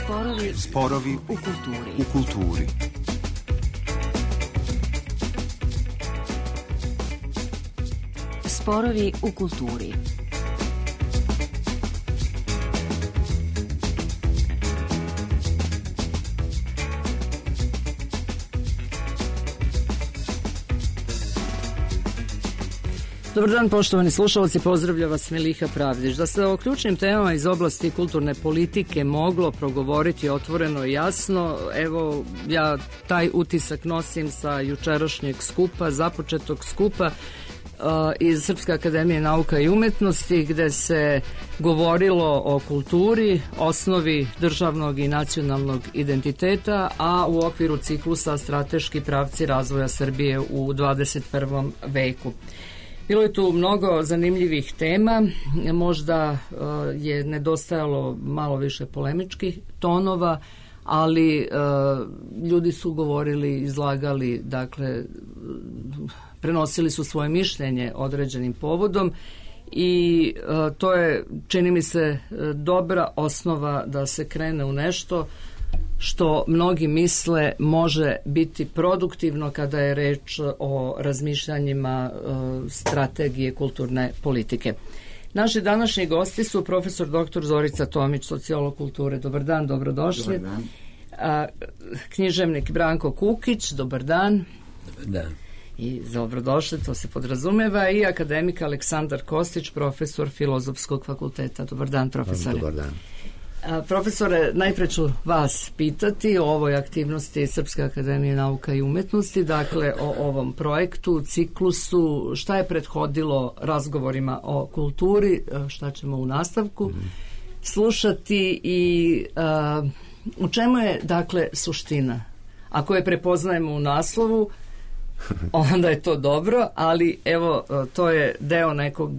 Sporovi u kulturi. Sporovi u kulturi. Dobar dan, poštovani slušalci, pozdravlja vas Miliha Pravdić. Da se o ključnim temama iz oblasti kulturne politike moglo progovoriti otvoreno i jasno, evo ja taj utisak nosim sa jučerašnjeg skupa, započetog skupa iz Srpske akademije nauka i umetnosti, gde se govorilo o kulturi, osnovi državnog i nacionalnog identiteta, a u okviru ciklusa strateški pravci razvoja Srbije u 21. veku. Bilo je tu mnogo zanimljivih tema, možda je nedostajalo malo više polemičkih tonova, ali ljudi su govorili, izlagali, dakle, prenosili su svoje mišljenje određenim povodom i to je, čini mi se, dobra osnova da se krene u nešto što mnogi misle može biti produktivno kada je reč o razmišljanjima strategije kulturne politike. Naši današnji gosti su profesor dr. Zorica Tomić, sociolog kulture. Dobar dan, dobrodošli. Dobar dan. Književnik Branko Kukić, dobar dan. Dobar dan. I dobrodošli, to se podrazumeva, i akademik Aleksandar Kostić, profesor Filozofskog fakulteta. Dobar dan, profesore. Dobar dan. Profesore, najpre ću vas pitati o ovoj aktivnosti Srpske akademije nauka i umetnosti, dakle o ovom projektu, ciklusu, šta je prethodilo razgovorima o kulturi, šta ćemo u nastavku slušati i u čemu je, dakle, suština? Ako je prepoznajemo u naslovu, onda je to dobro, ali evo, to je deo nekog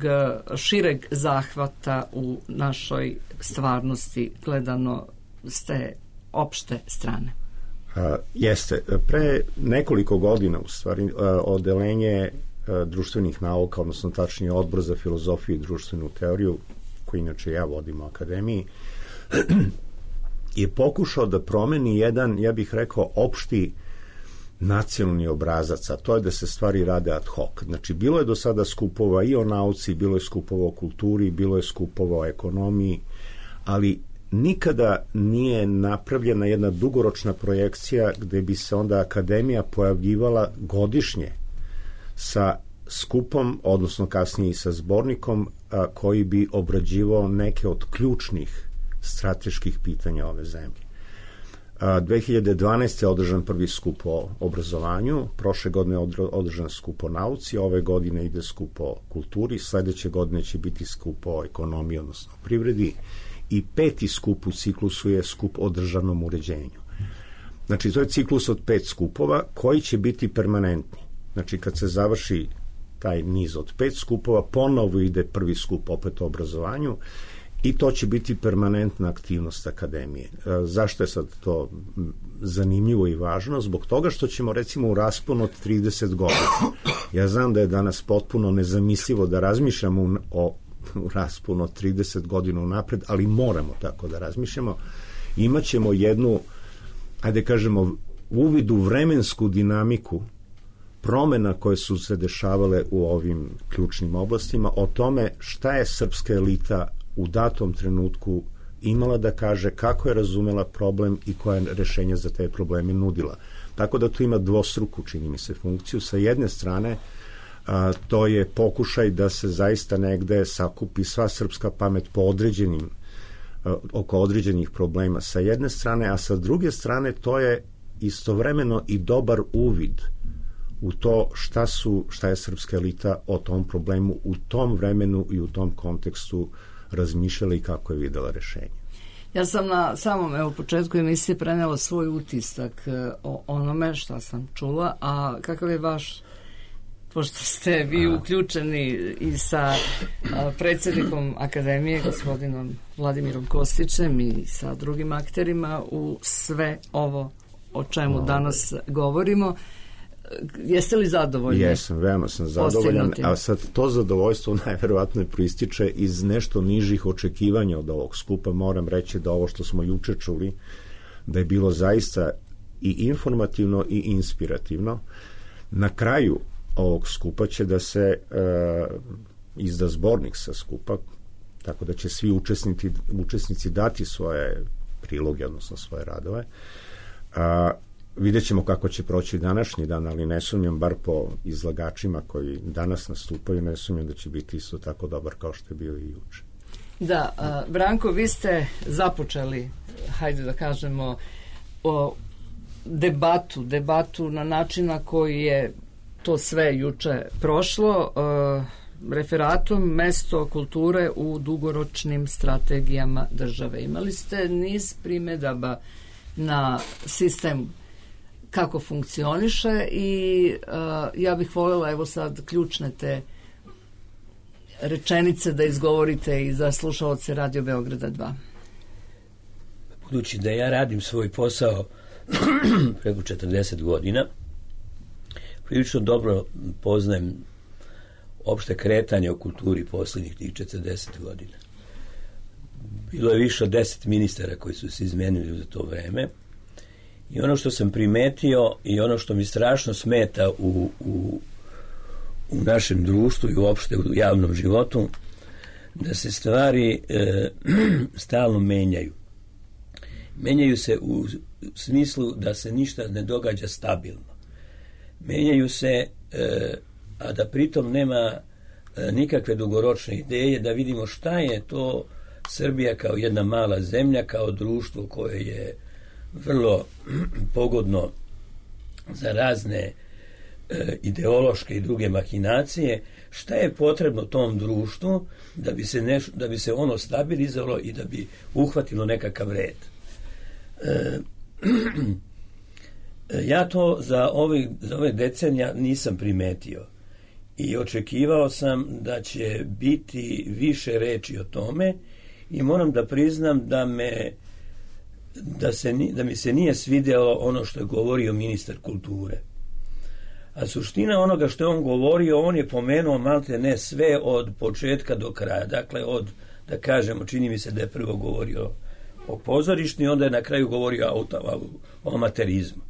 šireg zahvata u našoj stvarnosti gledano s te opšte strane. Jeste. Pre nekoliko godina, u stvari, odelenje društvenih nauka, odnosno tačnije Odbor za filozofiju i društvenu teoriju, koji inače ja vodim u akademiji, je pokušao da promeni jedan, ja bih rekao, opšti nacionalni obrazac, a to je da se stvari rade ad hoc. Znači, bilo je do sada skupova i o nauci, bilo je skupova o kulturi, bilo je skupova o ekonomiji, ali nikada nije napravljena jedna dugoročna projekcija gde bi se onda akademija pojavljivala godišnje sa skupom, odnosno kasnije i sa zbornikom, koji bi obrađivao neke od ključnih strateških pitanja ove zemlje. 2012. je održan prvi skup o obrazovanju, prošle godine je održan skup o nauci, ove godine ide skup o kulturi, sledeće godine će biti skup o ekonomiji, odnosno privredi, i peti skup u ciklusu je skup o državnom uređenju. Znači, to je ciklus od 5 skupova koji će biti permanentni. Znači, kad se završi taj niz od 5 skupova, ponovo ide prvi skup opet o obrazovanju, i to će biti permanentna aktivnost akademije. Zašto je sad to zanimljivo i važno? Zbog toga što ćemo, recimo, u rasponu od 30 godina, ja znam da je danas potpuno nezamislivo da razmišljamo o rasponu od 30 godina unapred, ali moramo tako da razmišljamo. Imaćemo jednu, ajde kažemo, uvid u vremensku dinamiku promena koje su se dešavale u ovim ključnim oblastima, o tome šta je srpska elita u datom trenutku imala da kaže, kako je razumela problem i koja je rešenja za te probleme nudila. Tako da tu ima dvostruku, čini mi se, funkciju. Sa jedne strane, to je pokušaj da se zaista negde sakupi sva srpska pamet po oko određenih problema sa jedne strane, a sa druge strane to je istovremeno i dobar uvid u to šta je srpska elita o tom problemu u tom vremenu i u tom kontekstu razmišljala i kako je videla rešenje. Ja sam na samom početku emisije prenela svoj utisak o onome šta sam čula, a kakav je vaš, pošto ste vi uključeni i sa predsjednikom akademije, gospodinom Vladimirom Kostićem, i sa drugim akterima u sve ovo o čemu danas govorimo. Jeste li zadovoljni? Jesam, veoma sam zadovoljan, a sad to zadovoljstvo najverovatnije proističe iz nešto nižih očekivanja od ovog skupa. Moram reći da ovo što smo juče čuli, da je bilo zaista i informativno i inspirativno. Na kraju ovog skupa će da se izda zbornik sa skupa, tako da će svi učesnici dati svoje priloge, odnosno svoje radove. Vidjet ćemo kako će proći današnji dan, ali ne sumnjam, bar po izlagačima koji danas nastupaju, ne sumnjam da će biti isto tako dobar kao što je bio i juče. Da, Branko, vi ste započeli, hajde da kažemo, debatu na način na koji je to sve juče prošlo, referatom mesto kulture u dugoročnim strategijama države. Imali ste niz primedaba na sistem kako funkcioniše i ja bih voljela, evo sad, ključne te rečenice da izgovorite i za slušaoce Radio Beograda 2. Budući da ja radim svoj posao preko 40 godina, prilično dobro poznajem opšte kretanje u kulturi posljednjih tih 40 godina. Bilo je više od 10 ministara koji su se izmenili za to vreme i ono što sam primetio i ono što mi strašno smeta u našem društvu i uopšte u javnom životu, da se stvari stalno menjaju. Menjaju se u smislu da se ništa ne događa stabilno. Menjaju se, a da pritom nema nikakve dugoročne ideje, da vidimo šta je to Srbija kao jedna mala zemlja, kao društvo koje je vrlo pogodno za razne ideološke i druge mahinacije, šta je potrebno tom društvu da bi se ono stabilizovalo i da bi uhvatilo nekakav red. Ja to za ove decenija nisam primetio i očekivao sam da će biti više reči o tome i moram da priznam da mi se nije svidjelo ono što je govorio ministar kulture. A suština onoga što je on govorio, on je pomenuo malte ne sve od početka do kraja. Dakle, da kažemo, čini mi se da je prvo govorio o pozorištu i onda je na kraju govorio o amaterizmu.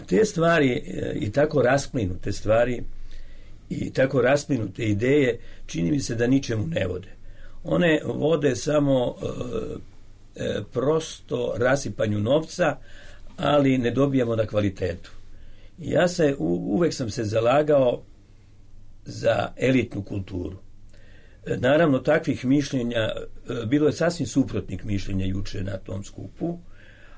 Te stvari i tako rasplinute stvari i tako rasplinute ideje čini mi se da ničemu ne vode. One vode samo prosto rasipanju novca, ali ne dobijamo na kvalitetu. Ja uvek sam se zalagao za elitnu kulturu. Naravno, takvih mišljenja, bilo je sasvim suprotnih mišljenja juče na tom skupu,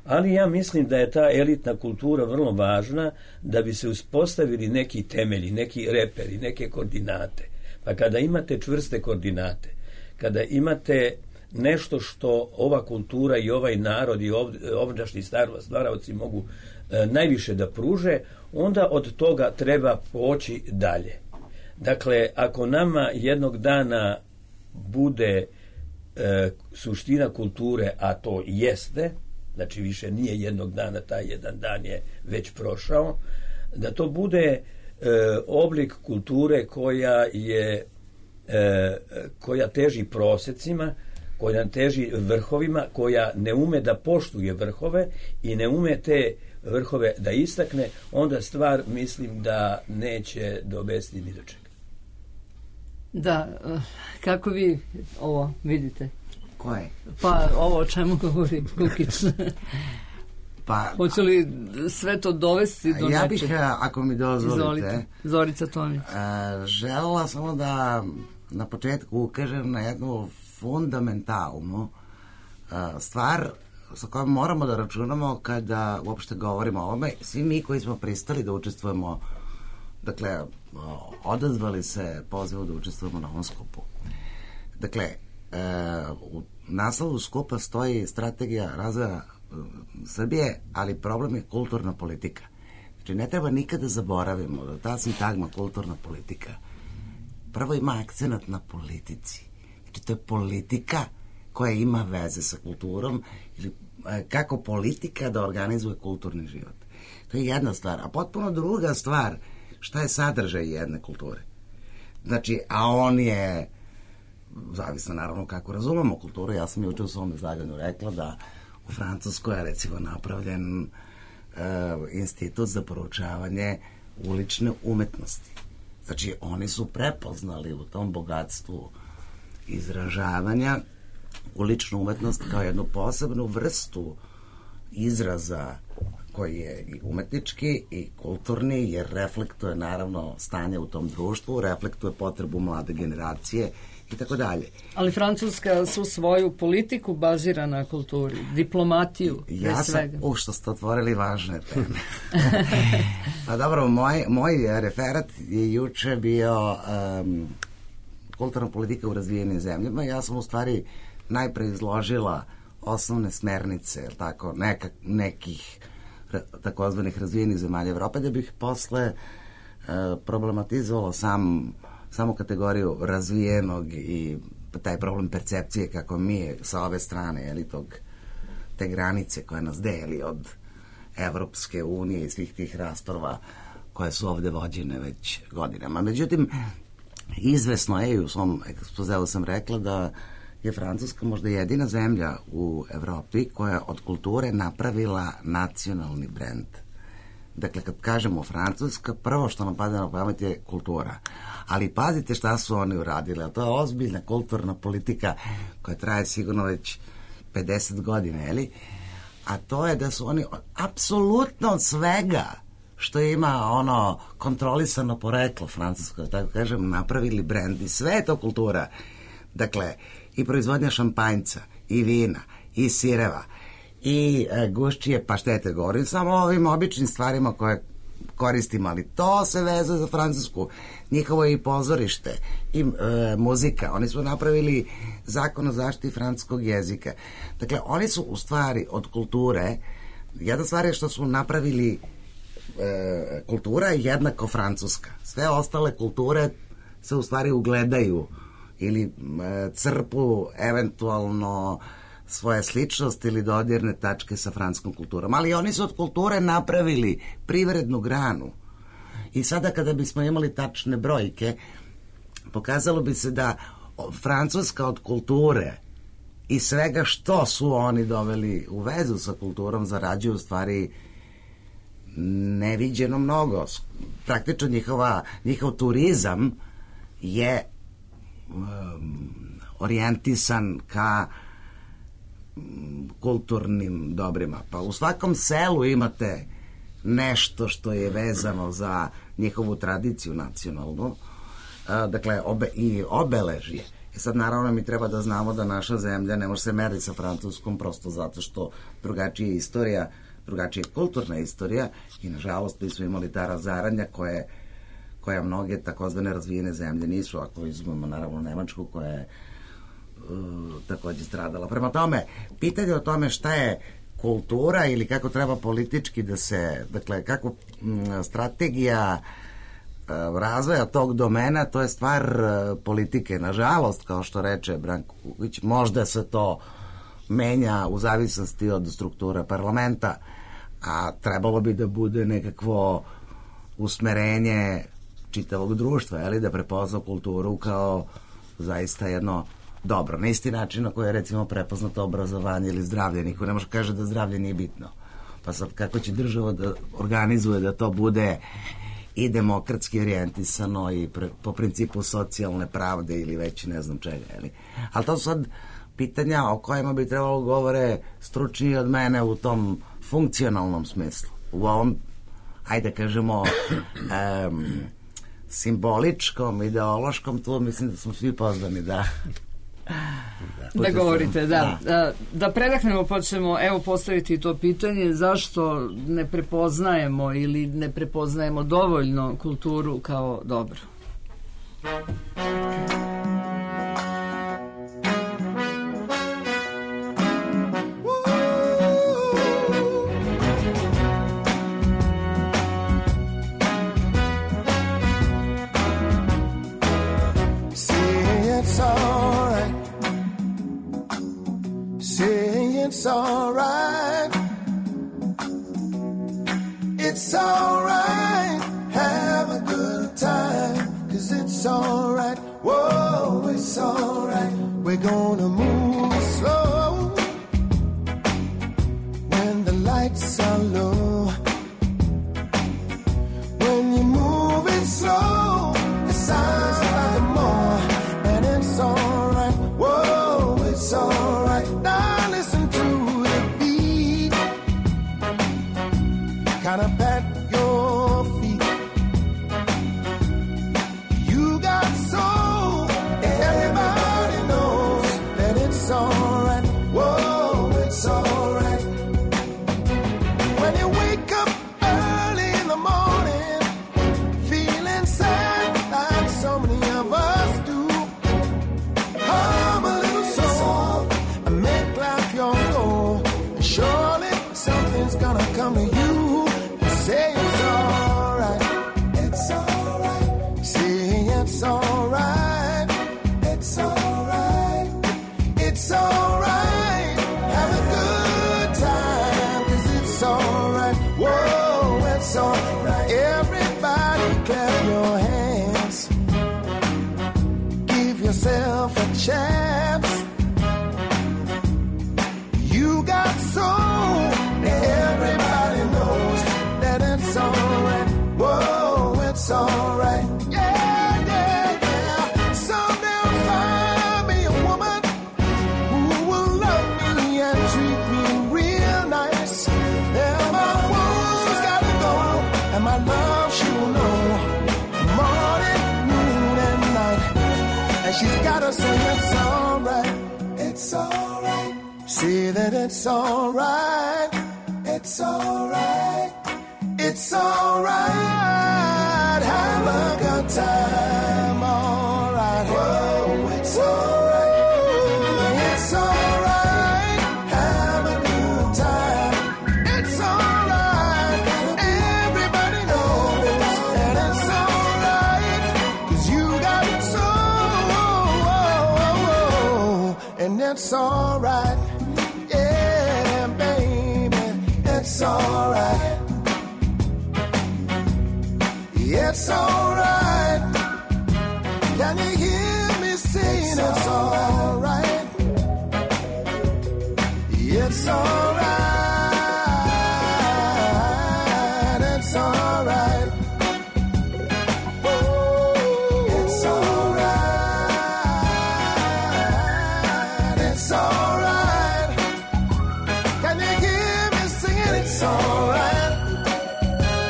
ali ja mislim da je ta elitna kultura vrlo važna da bi se uspostavili neki temelji, neki reperi, neke koordinate. Pa kada imate čvrste koordinate, kada imate nešto što ova kultura i ovaj narod i ovdašnji stvaraoci mogu najviše da pruže, onda od toga treba poći dalje. Dakle, ako nama jednog dana bude suština kulture, a to jeste, znači više nije jednog dana, taj jedan dan je već prošao, da to bude oblik kulture koja teži prosecima, koja teži vrhovima, koja ne ume da poštuje vrhove i ne ume te vrhove da istakne, onda stvar mislim da neće dovesti ni do čega. Da, kako vi ovo vidite? Koje? Pa ovo o čemu govori Kukić. Pa, hoće li sve to dovesti do ja nečeg? bih, ako mi dozvolite, Zorica Tomić. Želela samo da na početku ukažem na jednu fundamentalnu stvar sa kojom moramo da računamo kada uopšte govorimo o ovome. Svi mi koji smo pristali da učestvujemo, dakle, odazvali se pozivu da učestvujemo na ovom skupu. Dakle, u naslovu skupa stoji strategija razvoja Srbije, ali problem je kulturna politika. Znači, ne treba nikada zaboravimo da ta sintagma kulturna politika prvo ima akcenat na politici. Znači, to je politika koja ima veze sa kulturom ili kako politika da organizuje kulturni život. To je jedna stvar. A potpuno druga stvar, šta je sadržaj jedne kulture? Znači, a on je, zavisno naravno kako razumemo kulturu, ja sam juče u svom izlaganju rekla da u Francuskoj je recimo napravljen institut za proučavanje ulične umetnosti. Znači, oni su prepoznali u tom bogatstvu izražavanja uličnu umetnost kao jednu posebnu vrstu izraza koji je i umetnički i kulturni, jer reflektuje naravno stanje u tom društvu, reflektuje potrebu mlade generacije i tako dalje. Ali Francuska su svoju politiku bazira na kulturi, diplomatiju, ja bez svega. Što ste otvorili važne teme. Pa dobro, moj referat je juče bio kulturna politika u razvijenim zemljama. Ja sam u stvari najpre izložila osnovne smernice, tako, nekih takozvanih razvijenih zemalja Evrope, da bih posle problematizovala samu kategoriju razvijenog i taj problem percepcije kako mi sa ove strane, te granice koje nas deli od Evropske unije i svih tih rasprava koje su ovde vođene već godinama. Međutim, izvesno je, i u svom ekspozeu sam rekla da je Francuska možda jedina zemlja u Evropi koja je od kulture napravila nacionalni brend. Dakle, kad kažemo Francuska, prvo što nam pada na pamet je kultura. Ali pazite šta su oni uradili, a to je ozbiljna kulturna politika koja traje sigurno već 50 godina, a to je da su oni apsolutno od svega što ima kontrolisano poreklo francusko, tako kažem, napravili brend i sve je to kultura. Dakle, i proizvodnja šampanjca, i vina, i sireva, i gušćije paštete, govorim samo o ovim običnim stvarima koje koristimo, ali to se vezuje za Francusku. Njihovo je i pozorište, i muzika. Oni su napravili zakon o zaštiti francuskog jezika. Dakle, oni su u stvari od kulture, jedna stvar je što su napravili kultura je jednako francuska. Sve ostale kulture se u stvari ugledaju ili crpu eventualno svoje sličnosti ili dodirne tačke sa francuskom kulturom. Ali oni su od kulture napravili privrednu granu. I sada kada bismo imali tačne brojke, pokazalo bi se da Francuska od kulture i svega što su oni doveli u vezu sa kulturom zarađuju u stvari neviđeno mnogo. Praktično njihov turizam je orijentisan ka kulturnim dobrima. Pa u svakom selu imate nešto što je vezano za njihovu tradiciju nacionalnu, dakle i obeležje. Sad naravno mi treba da znamo da naša zemlja ne može se meriti sa Francuskom prosto zato što drugačija istorija, drugačija kulturna istorija i nažalost mi smo imali ta razaranja koja mnoge takozvane razvijene zemlje nisu, ako izumemo naravno Nemačku koja je takođe stradala. Prema tome, pitanje o tome šta je kultura ili kako treba politički da se, dakle, kako strategija razvoja tog domena, to je stvar politike. Nažalost, kao što reče Branko Kukić, možda se to menja u zavisnosti od struktura parlamenta, a trebalo bi da bude nekakvo usmerenje čitavog društva, da prepozna kulturu kao zaista jedno dobro. Na isti način na koji je recimo prepoznato obrazovanje ili zdravlje. Niko ne može kaže da zdravlje nije bitno. Pa sad kako će država da organizuje da to bude i demokratski orijentisano i po principu socijalne pravde ili već ne znam čega. Ali to su sad pitanja o kojima bi trebalo govore stručniji od mene u tom funkcionalnom smislu. U ovom, ajde kažemo, simboličkom, ideološkom, tu mislim da smo svi pozvani da govorite, da predahnemo, pa ćemo postaviti to pitanje zašto ne prepoznajemo ili ne prepoznajemo dovoljno kulturu kao dobro. It's all right. it's alright. Whoa, it's alright. We're gonna move slow when the lights are low. When you're moving slow, it sounds like more, and it's alright. Whoa, it's alright. Now listen to the beat, kind of pat your feet. You got soul, everybody knows that it's alright. Whoa, it's alright. When you wake up early in the morning, feeling sad like so many of us do, hum a little song and make life your goal. And surely something's gonna come to you. Say it's alright. It's alright. Say it's alright. It's alright. It's alright. Have a good time, 'cause it's alright. Whoa, it's alright. Everybody clap your hands. Give yourself a chance. You got soul. Everybody knows that it's alright. Whoa, it's alright. Yeah, yeah, yeah. Someday I'll find me a woman who will love me and treat me real nice. And my woes gotta go, and my love she will know morning, noon, and night. And she's gotta say it's alright. It's alright. Say that it's alright. It's alright. It's alright. Have a good time. Alright. Whoa, it's alright. It's alright. Have a good time. It's alright. Everybody knows that it's alright. 'Cause you got soul. And it's alright. Yeah, baby. It's alright. It's alright. Can you hear me saying it's alright? It's alright. It's alright. It's alright. It's alright. Can you hear me singing it's alright?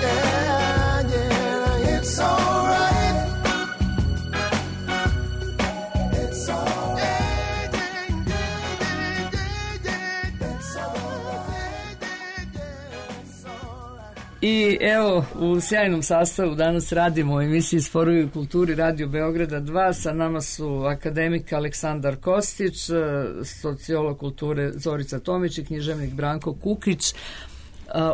Yeah, yeah, it's alright. It's alright. It's alright. It's alright. I evo, u sjajnom sastavu danas radimo u emisiji Sporovi u kulturi Radio Beograda 2. Sa nama su akademik Aleksandar Kostić, sociolog kulture Zorica Tomić i književnik Branko Kukić,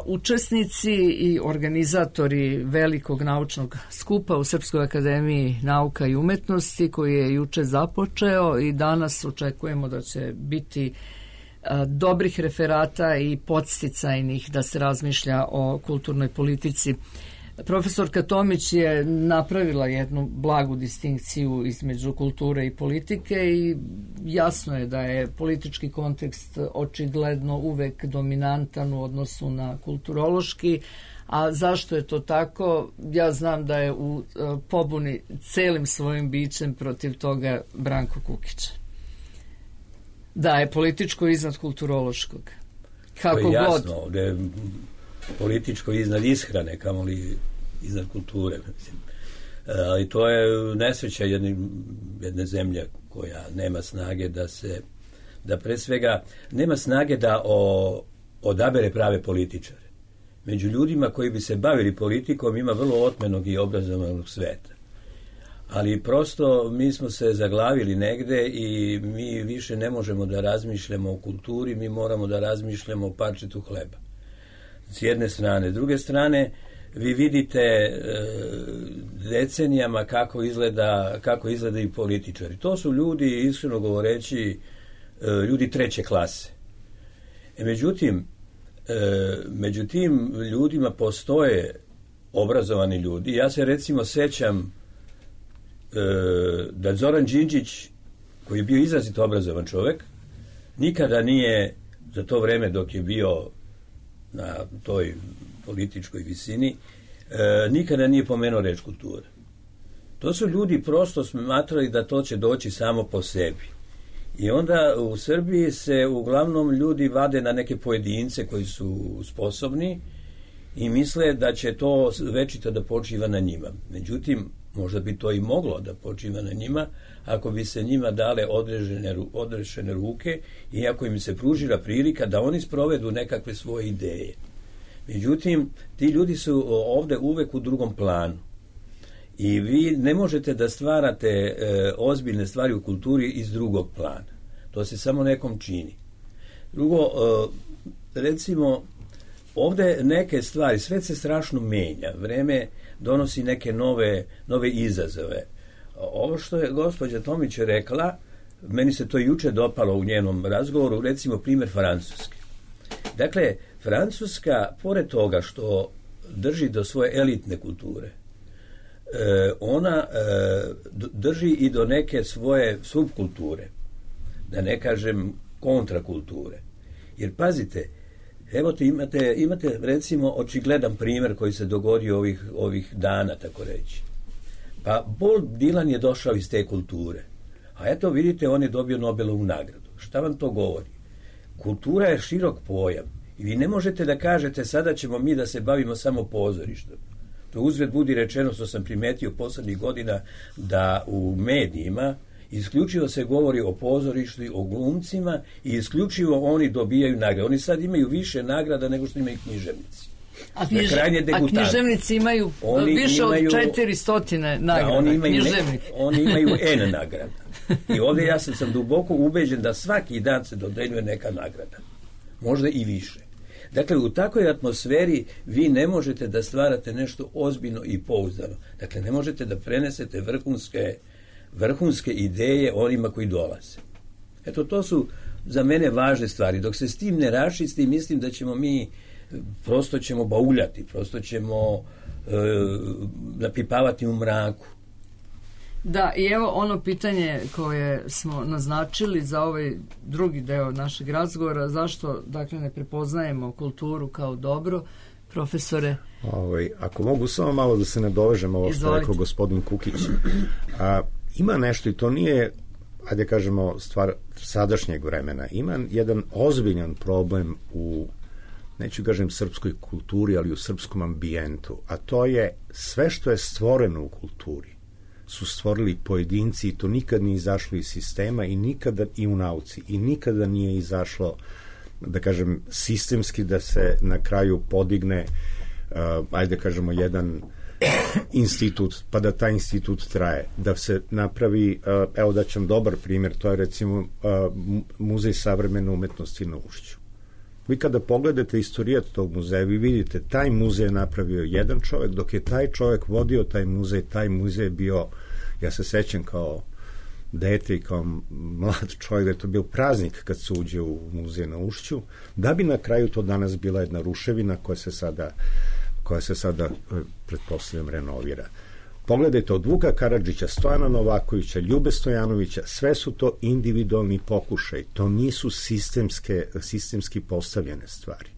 učesnici i organizatori velikog naučnog skupa u Srpskoj akademiji nauka i umetnosti koji je juče započeo i danas očekujemo da će biti dobrih referata i podsticajnih da se razmišlja o kulturnoj politici. Profesorka Tomić je napravila jednu blagu distinkciju između kulture i politike i jasno je da je politički kontekst očigledno uvek dominantan u odnosu na kulturološki, a zašto je to tako? Ja znam da je u pobuni celim svojim bićem protiv toga Branko Kukić. Da je političko iznad kulturološkog. Kako to je jasno, god. Ovdje je političko iznad ishrane, kamoli iznad kulture. Mislim. Ali to je nesreća jedne zemlje koja nema snage da pre svega nema snage da odabere prave političare. Među ljudima koji bi se bavili politikom ima vrlo otmenog i obrazovanog sveta. Ali prosto mi smo se zaglavili negde i mi više ne možemo da razmišljamo o kulturi, mi moramo da razmišljamo o parčetu hleba. S jedne strane. S druge strane, vi vidite decenijama kako izgledaju političari. To su ljudi, iskreno govoreći, ljudi treće klase. Među tim ljudima postoje obrazovani ljudi. Ja se recimo sećam da Zoran Đinđić, koji je bio izrazito obrazovan čovjek, nikada nije za to vreme dok je bio na toj političkoj visini, nikada nije pomenuo reč kultura. To su ljudi prosto smatrali da to će doći samo po sebi. I onda u Srbiji se uglavnom ljudi vade na neke pojedince koji su sposobni i misle da će to večito da počiva na njima. Međutim, možda bi to i moglo da počiva na njima ako bi se njima dale odrešene ruke i ako im se pružila prilika da oni sprovedu nekakve svoje ideje. Međutim, ti ljudi su ovde uvek u drugom planu. I vi ne možete da stvarate ozbiljne stvari u kulturi iz drugog plana. To se samo nekom čini. Drugo, recimo, ovde neke stvari, svet se strašno menja. Vreme donosi neke nove izazove. Ovo što je gospođa Tomić rekla, meni se to juče dopalo u njenom razgovoru, recimo primjer Francuske. Dakle, Francuska, pored toga što drži do svoje elitne kulture, ona drži i do neke svoje subkulture, da ne kažem kontrakulture. Jer pazite, evo imate recimo očigledan primjer koji se dogodio ovih dana, tako reći. Pa Bob Dylan je došao iz te kulture, a eto vidite, on je dobio Nobelovu nagradu. Šta vam to govori? Kultura je širok pojam i vi ne možete da kažete sada ćemo mi da se bavimo samo pozorištem. To uzgled budi rečeno, što sam primetio poslednjih godina, da u medijima isključivo se govori o pozorištu, o glumcima i isključivo oni dobijaju nagrade. Oni sad imaju više nagrada nego što imaju književnici. A književnici imaju više od 400 nagrada. Oni imaju N nagrada. I ovdje ja sam duboko ubeđen da svaki dan se dodeljuje neka nagrada. Možda i više. Dakle, u takvoj atmosferi vi ne možete da stvarate nešto ozbiljno i pouzdano. Dakle, ne možete da prenesete vrhunske ideje onima koji dolaze. Eto, to su za mene važne stvari. Dok se s tim ne raščisti, mislim da ćemo mi prosto ćemo bauljati, prosto ćemo napipavati u mraku. Da, i evo ono pitanje koje smo naznačili za ovaj drugi deo našeg razgovora, zašto dakle ne prepoznajemo kulturu kao dobro, profesore? Ako mogu samo malo da se nadovežem ovo što je rekao gospodin Kukić. Ima nešto i to nije, ajde kažemo, stvar sadašnjeg vremena. Ima jedan ozbiljan problem u, neću kažem srpskoj kulturi, ali u srpskom ambijentu, a to je sve što je stvoreno u kulturi su stvorili pojedinci i to nikad nije izašlo iz sistema i nikada i u nauci i nikada nije izašlo, da kažem, sistemski da se na kraju podigne ajde kažemo jedan institut, pa da taj institut traje, da se napravi, evo da ćem dobar primjer, to je recimo Muzej savremene umetnosti na Ušću. Vi kada pogledate istorijat tog muzeja, vi vidite, taj muzej je napravio jedan čovjek, dok je taj čovjek vodio taj muzej je bio, ja se sećam kao dete i kao mlad čovjek, da je to bio praznik kad se uđe u muzej na Ušću, da bi na kraju to danas bila jedna ruševina koja se sada pretpostavljam renovira. Pogledajte, od Vuka Karadžića, Stojana Novakovića, Ljube Stojanovića, sve su to individualni pokušaj, to nisu sistemski postavljene stvari.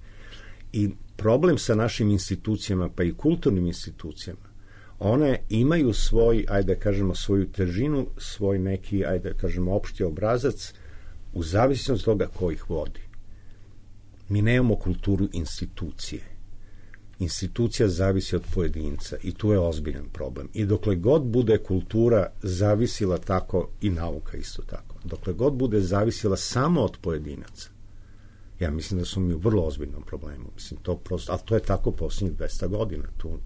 I problem sa našim institucijama, pa i kulturnim institucijama, one imaju svoj, ajde kažemo, svoju težinu, svoj neki, ajde kažemo, opšti obrazac, u zavisnosti od toga ko ih vodi. Mi nemamo kulturu institucije. Institucija zavisi od pojedinca i tu je ozbiljan problem. I dokle god bude kultura zavisila tako, i nauka isto tako, dokle god bude zavisila samo od pojedinaca, ja mislim da su mi u vrlo ozbiljnom problemu. Mislim, to prosto, ali to je tako posljednjih 200 godina. Tu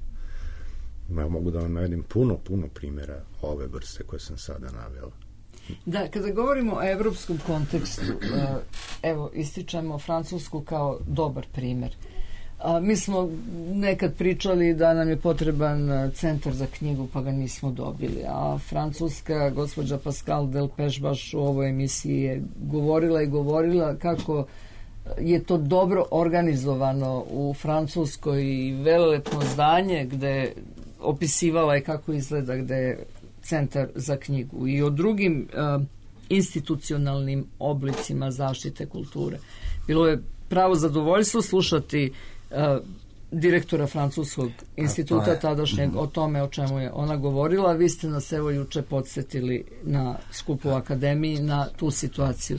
ja mogu da vam navedem puno primjera ove vrste koje sam sada navela. Da, kada govorimo o evropskom kontekstu, evo, ističemo Francusku kao dobar primjer. Mi smo nekad pričali da nam je potreban centar za knjigu, pa ga nismo dobili. A Francuska, gospođa Pascal Delpech baš u ovoj emisiji je govorila kako je to dobro organizovano u Francuskoj i velelepno zdanje gde opisivala je kako izgleda, gde Centar za knjigu i o drugim institucionalnim oblicima zaštite kulture. Bilo je pravo zadovoljstvo slušati direktora Francuskog instituta tadašnjeg o tome o čemu je ona govorila. Vi ste nas evo juče podsjetili na skupu u Akademiji na tu situaciju.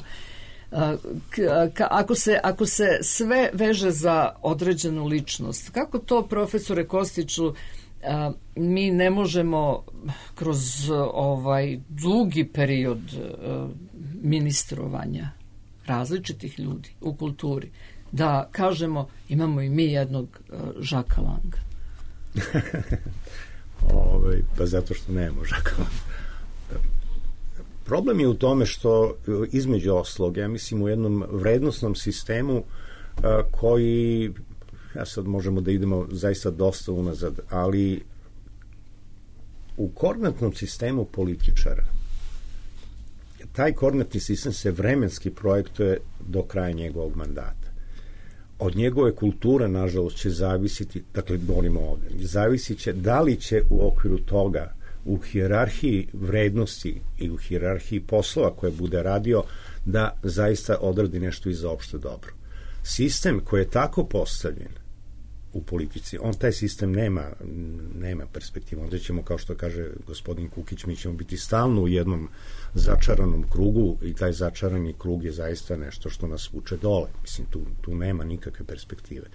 Ako se sve veže za određenu ličnost, kako to, profesore Kostiću, mi ne možemo kroz ovaj dugi period ministrovanja različitih ljudi u kulturi da kažemo imamo i mi jednog Žaka Langa? Pa zato što nemamo Žaka Langa. Problem je u tome što između ostalog, ja mislim, u jednom vrednosnom sistemu koji, ja sad možemo da idemo zaista dosta unazad, ali u koordinatnom sistemu političara taj koordinatni sistem se vremenski projektuje do kraja njegovog mandata. Od njegove kulture, nažalost, će zavisiti, dakle, govorimo ovde, zavisit će da li će u okviru toga u hijerarhiji vrednosti i u hijerarhiji poslova koje bude radio da zaista odradi nešto i za opšte dobro. Sistem koji je tako postavljen u politici, on taj sistem nema perspektivu. Onda ćemo, kao što kaže gospodin Kukić, mi ćemo biti stalno u jednom začaranom krugu i taj začarani krug je zaista nešto što nas vuče dole. Mislim, tu nema nikakve perspektive.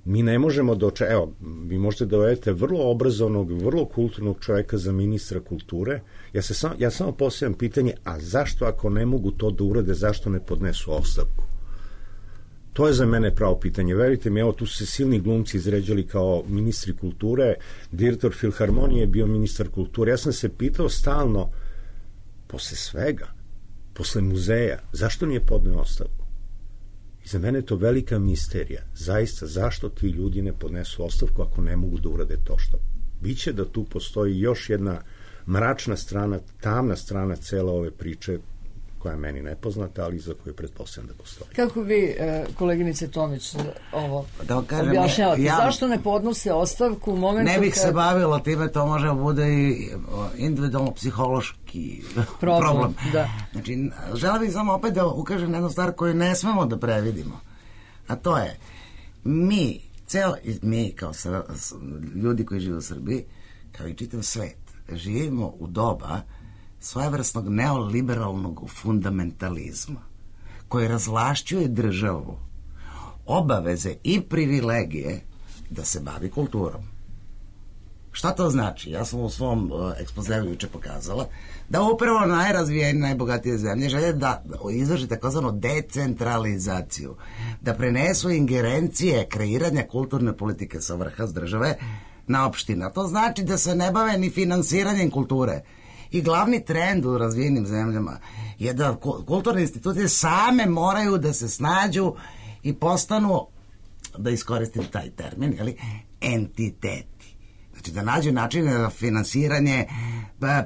Mi ne možemo evo, vi možete da dovedete vrlo obrazovnog, vrlo kulturnog čoveka za ministra kulture. Ja samo postavljam pitanje, a zašto ako ne mogu to da urade, zašto ne podnesu ostavku? To je za mene pravo pitanje. Verujte mi, evo, tu su se silni glumci izređali kao ministri kulture, direktor Filharmonije je bio ministar kulture. Ja sam se pitao stalno, posle svega, posle muzeja, zašto nije podneo ostavku? I za mene je to velika misterija. Zaista, zašto ti ljudi ne podnesu ostavku ako ne mogu da urade to što? Biće da tu postoji još jedna mračna strana, tamna strana cele ove priče, koja je meni nepoznata, ali za koju pretpostavljam da postoji. Kako vi, koleginice Tomić, ovo objašnjavate? Zašto ne podnose ostavku u momentu ne bih se bavilo time, to može bude i individualno psihološki problem. Da. Znači, želim bih samo opet da ukažem na jednu stvar koju ne smemo da previdimo. A to je, mi kao ljudi koji žive u Srbiji, kao i čitav svet, živimo u doba svojevrsnog neoliberalnog fundamentalizma koji razvlašćuje državu obaveze i privilegije da se bavi kulturom. Šta to znači? Ja sam u svom ekspozeu juče pokazala da upravo najrazvijenije, najbogatije zemlje žele da izvrši takozvanu decentralizaciju, da prenesu ingerencije kreiranja kulturne politike sa vrha, s države, na opštine. To znači da se ne bave ni finansiranjem kulture. I glavni trend u razvijenim zemljama je da kulturne institucije same moraju da se snađu i postanu, da iskoristim taj termin, entiteti. Znači da nađu načine za finansiranje,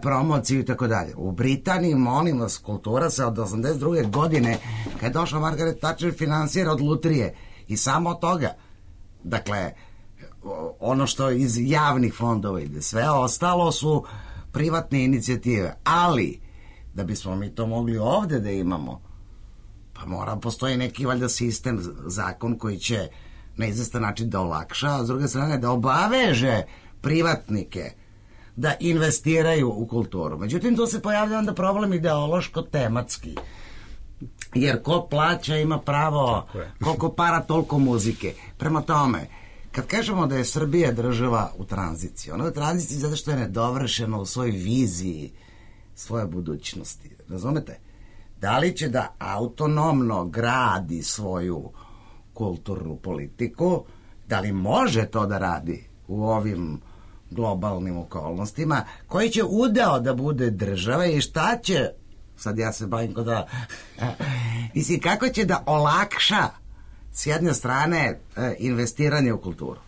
promociju i tako dalje. U Britaniji, molim vas, kultura se od 82. godine, kad je došla Margaret Thatcher, finansira od lutrije i samo od toga. Dakle, ono što iz javnih fondova ide, sve ostalo su privatne inicijative, ali da bismo mi to mogli ovde da imamo, pa postoji neki valjda sistem, zakon koji će na izvestan način da olakša, a s druge strane da obaveže privatnike da investiraju u kulturu. Međutim, tu se pojavlja onda problem ideološko-tematski, jer ko plaća ima pravo, koliko para toliko muzike. Prema tome, kad kažemo da je Srbija država u tranziciji, ona je u tranziciji zato što je nedovršena u svojoj viziji svoje budućnosti. Razumete? Da li će da autonomno gradi svoju kulturnu politiku, da li može to da radi u ovim globalnim okolnostima, koji će udeo da bude država i šta će, sad ja se bavim kod da, mislim, kako će da olakša s jedne strane investiranje u kulturu.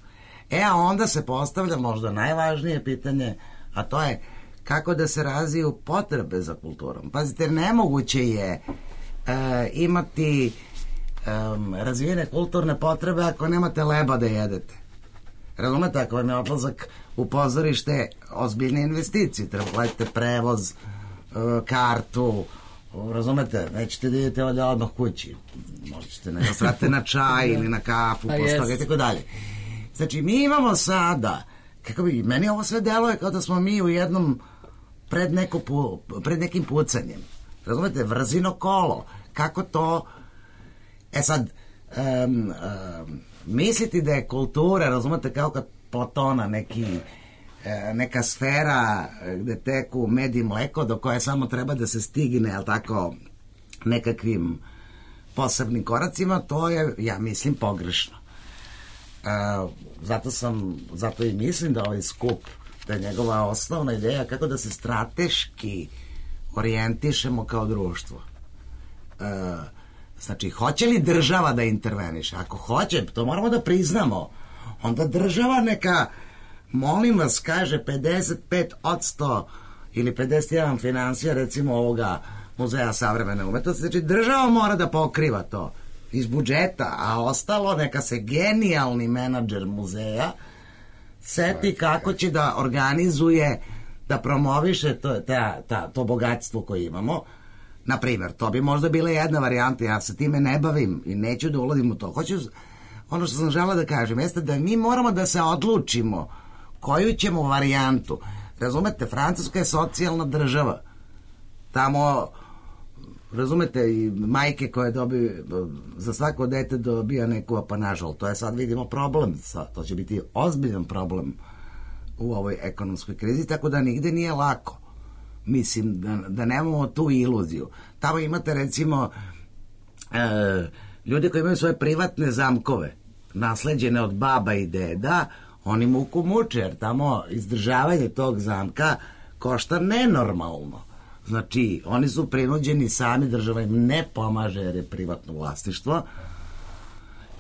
A onda se postavlja možda najvažnije pitanje, a to je kako da se razviju potrebe za kulturom. Pazite, nemoguće je imati razvijene kulturne potrebe ako nemate leba da jedete. Razumete, ako vam je odlazak u pozorište ozbiljne investicije, treba platite prevoz, kartu, razumete, nećete da idete odmah kući, možda ćete nego srate na čaj ili na kafu, posle toga i tako dalje. Znači, mi imamo sada, kako bi, meni ovo sve deluje kao da smo mi u jednom pred nekim pucanjem. Razumete, vrzino kolo. Kako to... sad, misliti da je kultura, razumete, kao kad Platona neka sfera gde teku med i mleko do koje samo treba da se stigne, jel tako, nekakvim posebnim koracima, to je, ja mislim, pogrešno. Zato i mislim da ovaj skup, da je njegova osnovna ideja kako da se strateški orijentišemo kao društvo. Znači, hoće li država da interveniše? Ako hoće, to moramo da priznamo. Onda država neka, molim vas, kaže 55% ili 51% finansija, recimo, ovoga Muzeja savremene umetnosti. Znači, država mora da pokriva to iz budžeta, a ostalo neka se genijalni menadžer muzeja seti kako će da organizuje, da promoviše to bogatstvo koje imamo. Na primjer, to bi možda bila jedna varijanta, ja se time ne bavim i neću da ulazim u to. Ono što sam želela da kažem jeste da mi moramo da se odlučimo koju ćemo varijantu. Razumete, Francuska je socijalna država. Tamo, razumete, i majke koje dobiju, za svako dete dobija neku apanažu, ali to je sad, vidimo, problem. To će biti ozbiljan problem u ovoj ekonomskoj krizi, tako da nigde nije lako. Mislim, da nemamo tu iluziju. Tamo imate, recimo, ljude koji imaju svoje privatne zamkove, nasleđene od baba i deda, oni muku muče, jer tamo izdržavanje tog zamka košta nenormalno. Znači, oni su prinuđeni sami, država im ne pomaže jer je privatno vlasništvo,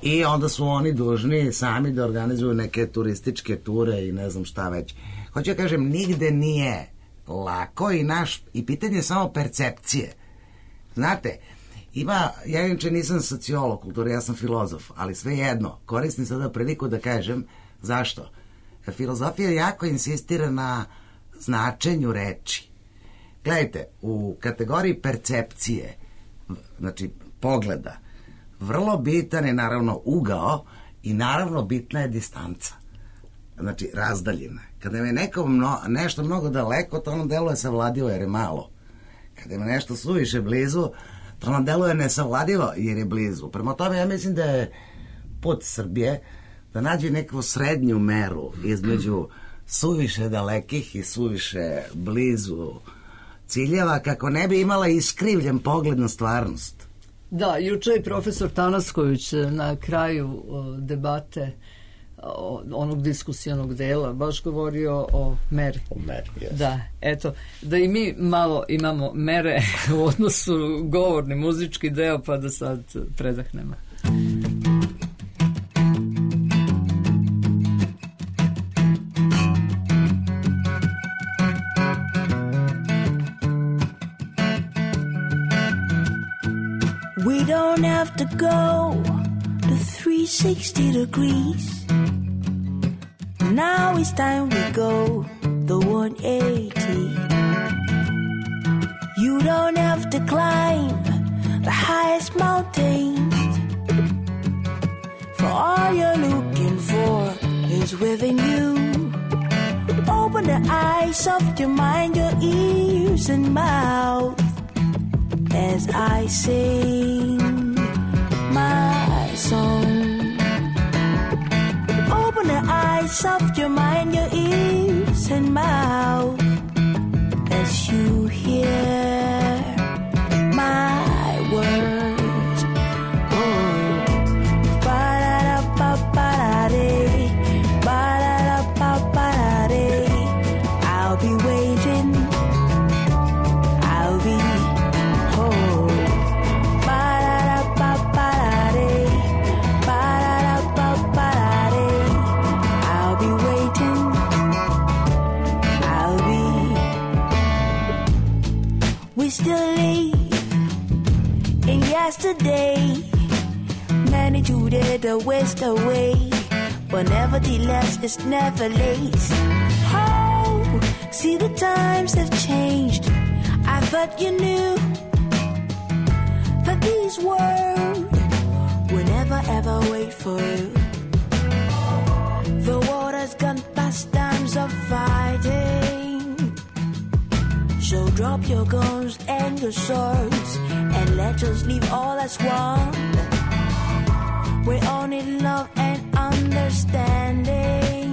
i onda su oni dužni sami da organizuju neke turističke ture i ne znam šta već. Hoću da kažem, nigde nije lako i pitanje je samo percepcije. Znate, ja inače nisam sociolog kulture, ja sam filozof, ali svejedno, koristim sada priliku da kažem zašto. Filozofija jako insistira na značenju reči. Gledajte, u kategoriji percepcije, znači pogleda, vrlo bitan je naravno ugao i naravno bitna je distanca. Znači, razdaljina. Kada je nekom nešto mnogo daleko, to ono deluje savladivo jer je malo. Kada je nešto suviše blizu, to ono deluje nesavladivo jer je blizu. Prema tome, ja mislim da je put Srbije da nađe neku srednju meru između suviše dalekih i suviše blizu ciljeva, kako ne bi imala iskrivljen pogled na stvarnost. Da, juče je profesor Tanasković na kraju debate onog diskusionog dela baš govorio o meri. O meri, jes. Da, eto, da i mi malo imamo mere u odnosu govorni, muzički deo, pa da sad predahnemo. We don't have to go to 360 degrees. Now it's time we go the 180. You don't have to climb the highest mountains, for all you're looking for is within you. Open the eyes of your mind, your ears and mouth, as I sing my song. Open the eyes of your mind, your ears and mouth, as you hear my words. Oh, ba-da-da-ba-ba-da-dee, ba-da-da-ba-ba-da-dee. I'll be waiting, I'll be home. Ba-da-da-ba-ba-da-dee, ba-da-da-ba-ba-da-dee. I'll be waiting, I'll be. We still live in yesterday, many to the west away, but nevertheless it's never late. Oh, see the times have changed. I thought you knew that these words would never ever wait for you. The water's gone past times of fighting, so drop your guns and your swords and let us leave all as one. We all need love and understanding,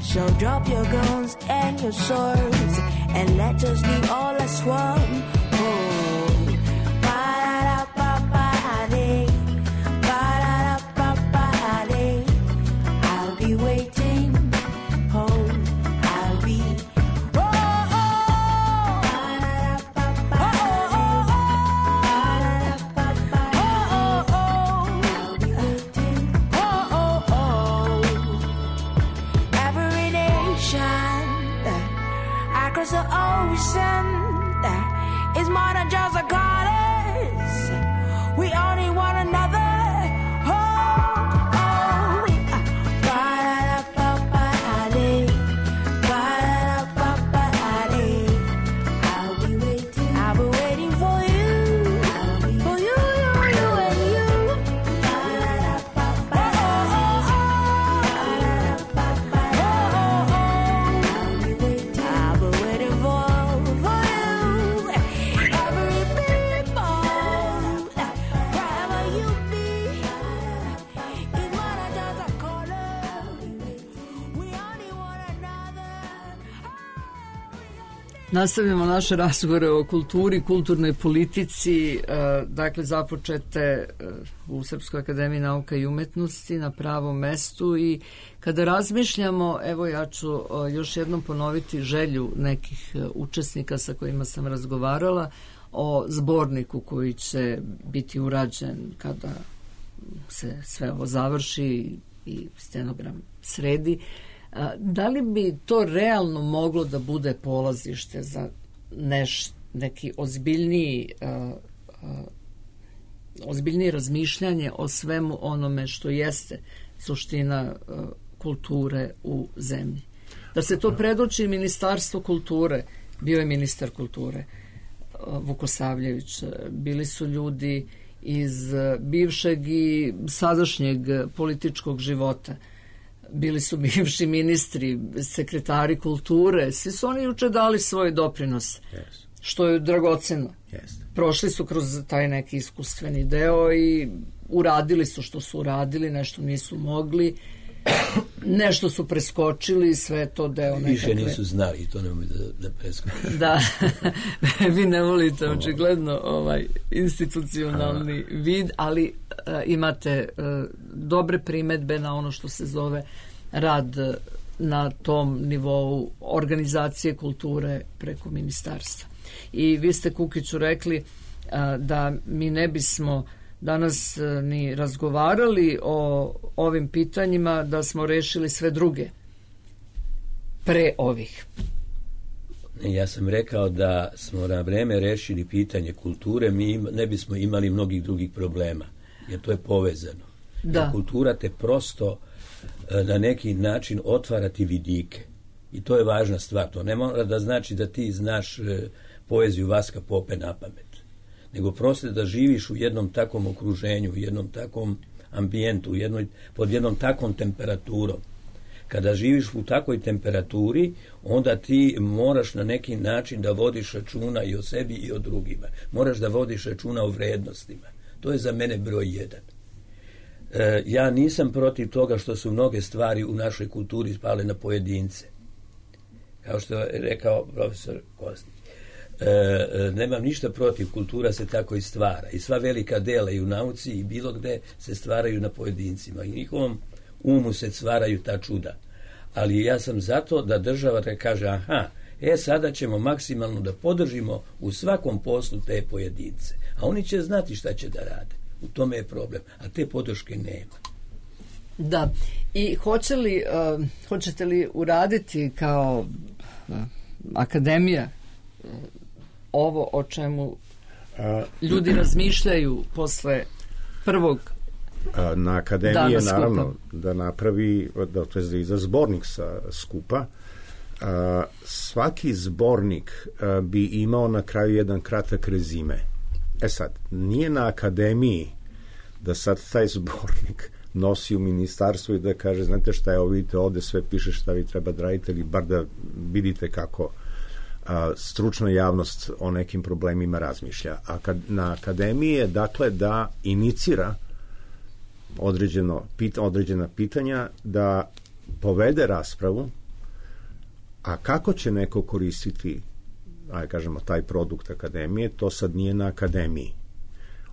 so drop your guns and your swords and let us leave all as one. Oh, ba-da-da-ba-ba-da-dee, ba-da-da-ba-ba-da-dee. I'll be waiting. Oh, I'll be. Oh, oh, I'll be waiting. Every nation across the ocean is more than just a goddess. We all need one another. Oh, oh. Ba-da-da-ba-ba-da-dee, ba-da-da-ba-ba-da-dee. I'll be waiting. I'll be waiting for you. For you, you and you. I'll be waiting. I'll be waiting for you. Every people, wherever you be, is more than just a corner. We all need one another. Nastavljamo naše razgovore o kulturi, kulturnoj politici, dakle započete u Srpskoj akademiji nauka i umetnosti na pravom mestu, i kada razmišljamo, evo ja ću još jednom ponoviti želju nekih učesnika sa kojima sam razgovarala o zborniku koji će biti urađen kada se sve ovo završi i stenogram sredi. Da li bi to realno moglo da bude polazište za neki ozbiljnije razmišljanje o svemu onome što jeste suština kulture u zemlji? Da se to predoči Ministarstvo kulture. Bio je ministar kulture Vukosavljević, bili su ljudi iz bivšeg i sadašnjeg političkog života, bili su bivši ministri, sekretari kulture, svi su oni juče dali svoj doprinos, što je dragoceno. Prošli su kroz taj neki iskustveni deo i uradili su što su uradili, nešto nisu mogli, nešto su preskočili, sve to deo nekakve. Više nisu znali, to nemoj da preskočili. Da, vi ne volite očigledno institucionalni vid, ali imate dobre primetbe na ono što se zove rad na tom nivou organizacije kulture preko ministarstva. I vi ste, Kukiću, rekli da mi ne bismo danas ni razgovarali o ovim pitanjima da smo rešili sve druge pre ovih. Ja sam rekao da smo na vreme rešili pitanje kulture, mi ne bismo imali mnogih drugih problema, jer to je povezano. Da. Kultura te prosto na neki način otvarati vidike. I to je važna stvar. To ne mora da znači da ti znaš poeziju Vaska Pope na pamet, nego prosto da živiš u jednom takvom okruženju, u jednom takvom ambijentu, pod jednom takvom temperaturom. Kada živiš u takvoj temperaturi, onda ti moraš na neki način da vodiš računa i o sebi i o drugima. Moraš da vodiš računa o vrednostima. To je za mene broj 1. Ja nisam protiv toga što su mnoge stvari u našoj kulturi spale na pojedince. Kao što je rekao profesor Kostić. Nemam ništa protiv, kultura se tako i stvara. I sva velika dela i u nauci i bilo gde se stvaraju na pojedincima. I njihovom umu se stvaraju ta čuda. Ali ja sam zato da država da kaže, sada ćemo maksimalno da podržimo u svakom poslu te pojedince. A oni će znati šta će da rade. U tome je problem. A te podrške nema. Da. I hoćete li uraditi kao akademija ovo o čemu ljudi razmišljaju posle prvog Na akademiji je naravno da napravi, to je da iza zbornik sa skupa. Svaki zbornik bi imao na kraju jedan kratak rezime. Sad, nije na akademiji da sad taj zbornik nosi u ministarstvo i da kaže, znate šta je, ovo vidite ovde sve piše šta vi treba da radite, ili bar da vidite kako stručna javnost o nekim problemima razmišlja. Na akademiji je, dakle, da inicira određena pitanja, da povede raspravu, a kako će neko koristiti, kažemo, taj produkt akademije, to sad nije na akademiji.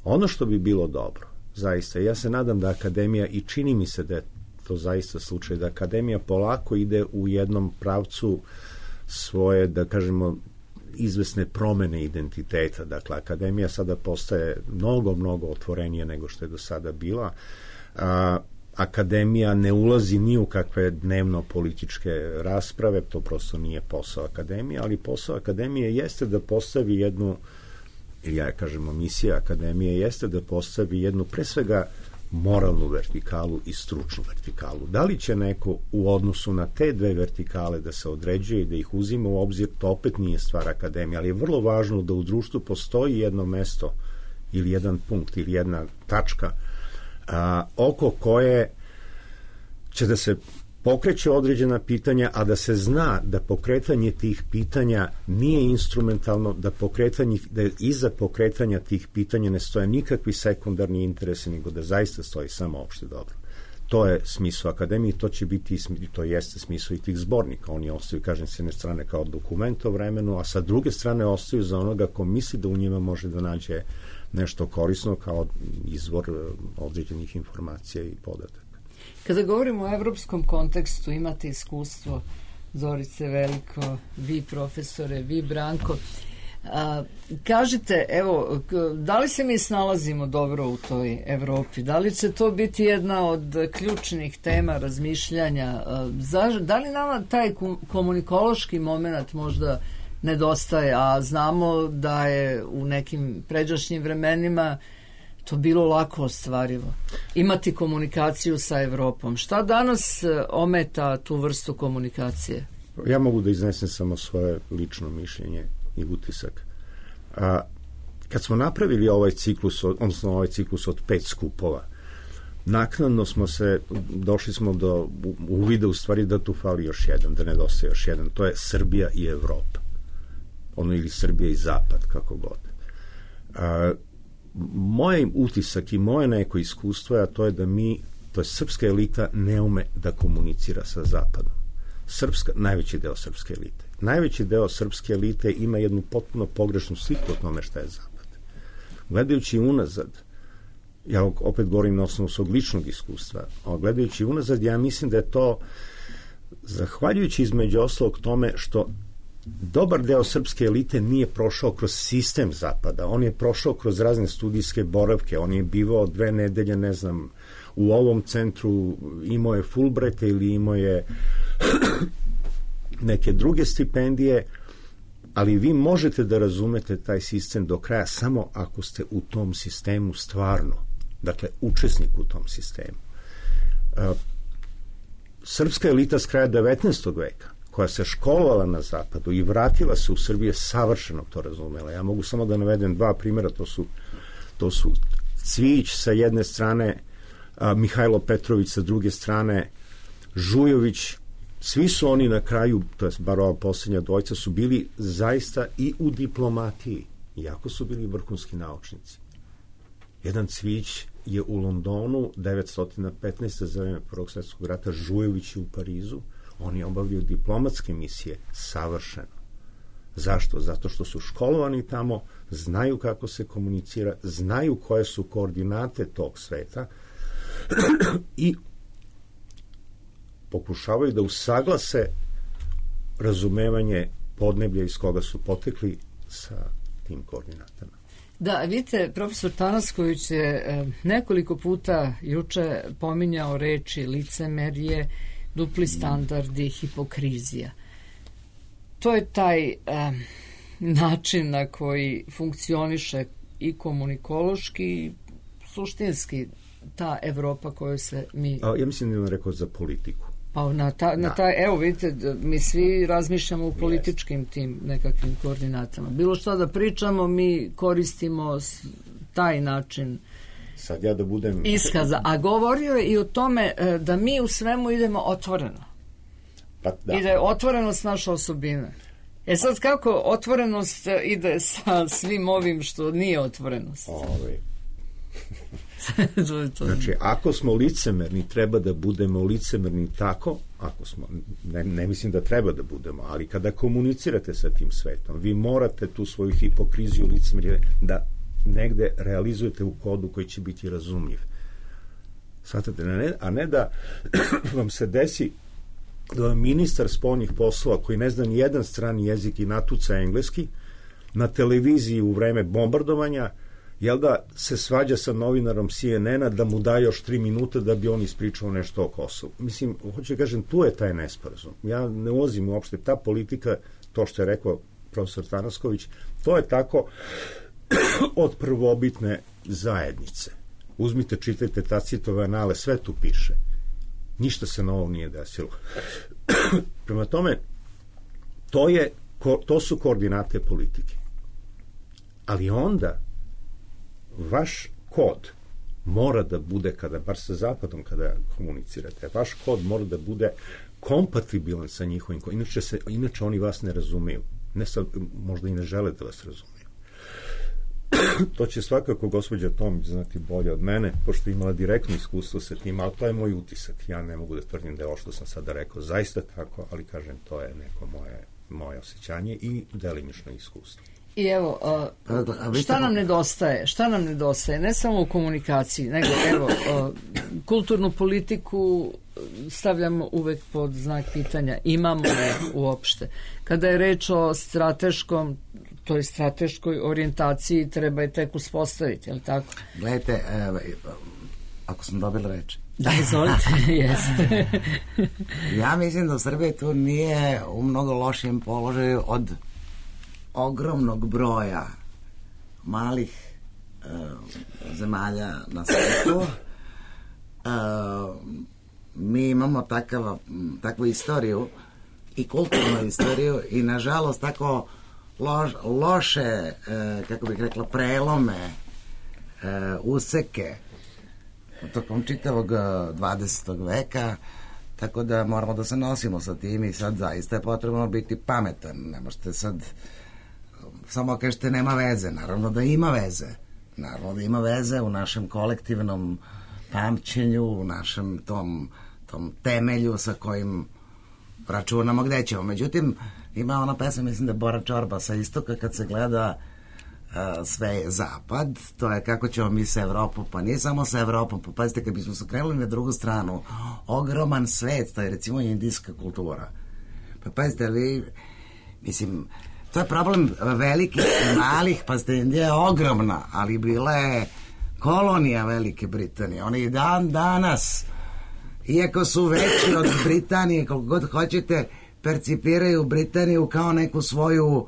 Ono što bi bilo dobro, zaista, ja se nadam da akademija, i čini mi se da je to zaista slučaj, da akademija polako ide u jednom pravcu svoje, da kažemo, izvesne promene identiteta. Dakle, akademija sada postaje mnogo otvorenije nego što je do sada bila. Akademija ne ulazi ni u kakve dnevno političke rasprave, to prosto nije posao akademije, ali posao akademije jeste da postavi jednu, ili ja kažemo misija akademije jeste da postavi jednu, pre svega, moralnu vertikalu i stručnu vertikalu. Da li će neko u odnosu na te dve vertikale da se određuje i da ih uzima u obzir, to opet nije stvar akademije, ali je vrlo važno da u društvu postoji jedno mesto ili jedan punkt ili jedna tačka oko koje će da se pokreće određena pitanja, a da se zna da pokretanje tih pitanja nije instrumentalno, da iza pokretanja tih pitanja ne stoje nikakvi sekundarni interesi, nego da zaista stoji samo opšte dobro. To je smisao akademije, to će biti, to jeste smisao i tih zbornika. Oni ostaju, kažem, s jedne strane kao dokument o vremenu, a sa druge strane ostaju za onoga ko misli da u njima može da nađe nešto korisno kao izvor određenih informacija i podataka. Kada govorimo o evropskom kontekstu, imate iskustvo, Zorice Veliko, vi profesore, vi Branko. Kažite, evo, da li se mi snalazimo dobro u toj Evropi? Da li će to biti jedna od ključnih tema razmišljanja? Da li nama taj komunikološki moment možda nedostaje, a znamo da je u nekim pređašnjim vremenima to bilo lako ostvarivo. Imati komunikaciju sa Evropom. Šta danas ometa tu vrstu komunikacije? Ja mogu da iznesem samo svoje lično mišljenje i utisak. Kad smo napravili ovaj ciklus, odnosno ovaj ciklus od 5 skupova, naknadno došli smo do uvida u stvari da tu fali još jedan, da nedostaje još jedan. To je Srbija i Evropa. Ili Srbija i Zapad, kako god. Moj utisak i moje neko iskustvo je, a to je da to je srpska elita ne ume da komunicira sa Zapadom. Najveći deo srpske elite. Najveći deo srpske elite ima jednu potpuno pogrešnu sliku o tome šta je Zapad. Gledajući unazad, ja opet govorim na osnovu svog ličnog iskustva, a gledajući unazad, ja mislim da je to zahvaljujući između ostalog tome što dobar deo srpske elite nije prošao kroz sistem Zapada, on je prošao kroz razne studijske boravke, on je bivao 2 nedelje, ne znam, u ovom centru, imao je Fulbrighta ili imao je neke druge stipendije, ali vi možete da razumete taj sistem do kraja samo ako ste u tom sistemu stvarno, dakle, učesnik u tom sistemu. Srpska elita s kraja 19. veka, koja se školovala na Zapadu i vratila se u Srbiju, savršeno to razumela. Ja mogu samo da navedem 2 primjera, to su Cvijić sa jedne strane, Mihajlo Petrović sa druge strane, Žujović, svi su oni na kraju, to je bar ova posljednja dvojica, su bili zaista i u diplomatiji, iako su bili vrhunski naučnici. Jedan Cvijić je u Londonu 915. za vreme Prvog svjetskog rata, Žujović je u Parizu, oni obavljaju diplomatske misije savršeno. Zašto? Zato što su školovani tamo, znaju kako se komunicira, znaju koje su koordinate tog sveta i pokušavaju da usaglase razumevanje podneblja iz koga su potekli sa tim koordinatama. Da, vidite, profesor Tanasković je nekoliko puta juče pominjao reči licemerje, dupli standardi, hipokrizija. To je taj način na koji funkcioniše i komunikološki i suštinski ta Evropa koju se mi... Ja mislim da je on rekao za politiku. Pa evo vidite, mi svi razmišljamo u političkim tim nekakvim koordinatama. Bilo što da pričamo, mi koristimo taj način sad ja da budem iskaza. A govorio je i o tome da mi u svemu idemo otvoreno. Pa, da. I da je otvorenost naša osobina. Sad kako otvorenost ide sa svim ovim što nije otvorenost? Znači, ako smo licemerni, treba da budemo licemerni tako, ako smo, ne mislim da treba da budemo, ali kada komunicirate sa tim svetom, vi morate tu svoju hipokriziju licemerje da negde realizujete u kodu koji će biti razumljiv. Svatate, a ne da vam se desi da vam ministar spoljnih poslova koji ne zna ni jedan strani jezik i natuca engleski na televiziji u vreme bombardovanja da se svađa sa novinarom CNN-a da mu da još 3 minuta da bi on ispričao nešto o Kosovu. Mislim, hoću da kažem, tu je taj nesporazum. Ja ne ulazim uopšte, ta politika, to što je rekao profesor Tanasković, to je tako od prvobitne zajednice. Uzmite, čitajte Tacitove anale, sve tu piše. Ništa se novo nije desilo. Prema tome, to su koordinate politike. Ali onda vaš kod mora da bude, bar sa Zapadom kada komunicirate, vaš kod mora da bude kompatibilan sa njihovim kodom. Inače oni vas ne razumeju. Možda i ne žele da vas razumeju. To će svakako gospođa Tomić znati bolje od mene, pošto je imala direktno iskustvo sa tim, ali to je moj utisak. Ja ne mogu da tvrdim da je ovo što sam sada rekao zaista tako, ali kažem, to je neko moje osjećanje i delimično iskustvo. I evo, šta nam nedostaje? Šta nam nedostaje? Ne samo u komunikaciji, nego evo, kulturnu politiku stavljamo uvek pod znak pitanja. Imamo je uopšte. Kada je reč o toj strateškoj orijentaciji, treba je tek uspostaviti, je li tako? Gledajte, ako sam dobila reč. Da, izvolite, jeste. Ja mislim da Srbija tu nije u mnogo lošijem položaju od ogromnog broja malih zemalja na svijetu. Mi imamo takvu istoriju i kulturnu istoriju i nažalost tako loše, kako bih rekla, prelome, useke tokom čitavog 20. veka, tako da moramo da se nosimo sa tim i sad zaista je potrebno biti pametan. Ne možete sad samo kažete nema veze. Naravno da ima veze. Naravno da ima veze u našem kolektivnom pamćenju, u našem tom temelju sa kojim računamo gde ćemo. Međutim, ima ona pesma, mislim da je Bora Čorba sa istoka, kad se gleda sve je zapad, to je kako ćemo mi sa Evropom, pa nije samo sa Evropom, pa pazite, kad bismo se krenuli na drugu stranu, ogroman svet, to je recimo indijska kultura. Pa pazite, mislim, to je problem velikih i malih, pazite, Indija je ogromna, ali bila je kolonija Velike Britanije. Oni i dan danas, iako su veći od Britanije, koliko god hoćete, percipiraju Britaniju kao neku svoju,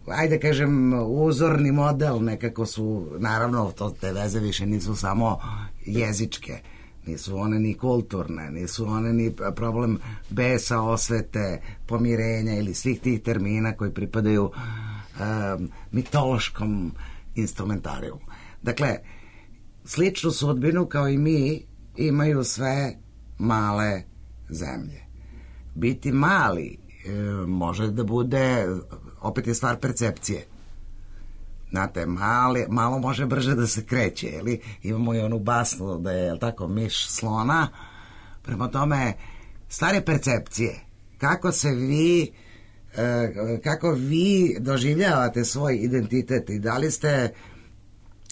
ajde kažem, uzorni model, nekako su, naravno, te veze više nisu samo jezičke, nisu one ni kulturne, nisu one ni problem besa, osvete, pomirenja ili svih tih termina koji pripadaju mitološkom instrumentariju. Dakle, sličnu sudbinu kao i mi imaju sve male zemlje. Biti mali može da bude, opet je stvar percepcije. Znate, malo može brže da se kreće, ili imamo i onu basnu da je, tako, miš slona. Prema tome, stvar je percepcije. Kako vi doživljavate svoj identitet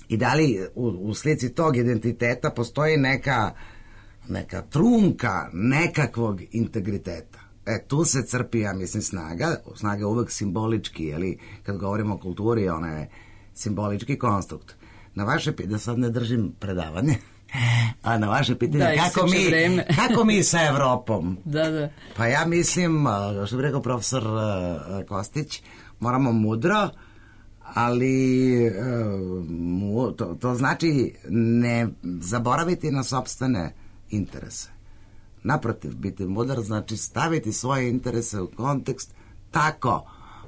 i da li u slici tog identiteta postoji neka trunka nekakvog integriteta. Tu se crpi, ja mislim, snaga je uvek simbolički, jeli, kad govorimo o kulturi, ona je simbolički konstrukt. Na vaše pitanje, da sad ne držim predavanje, a na vaše pitanje, kako mi sa Evropom? Da. Pa ja mislim, što bi rekao profesor Kostić, moramo mudro, ali to znači ne zaboraviti na sopstvene interese. Naprotiv, biti mudar znači staviti svoje interese u kontekst tako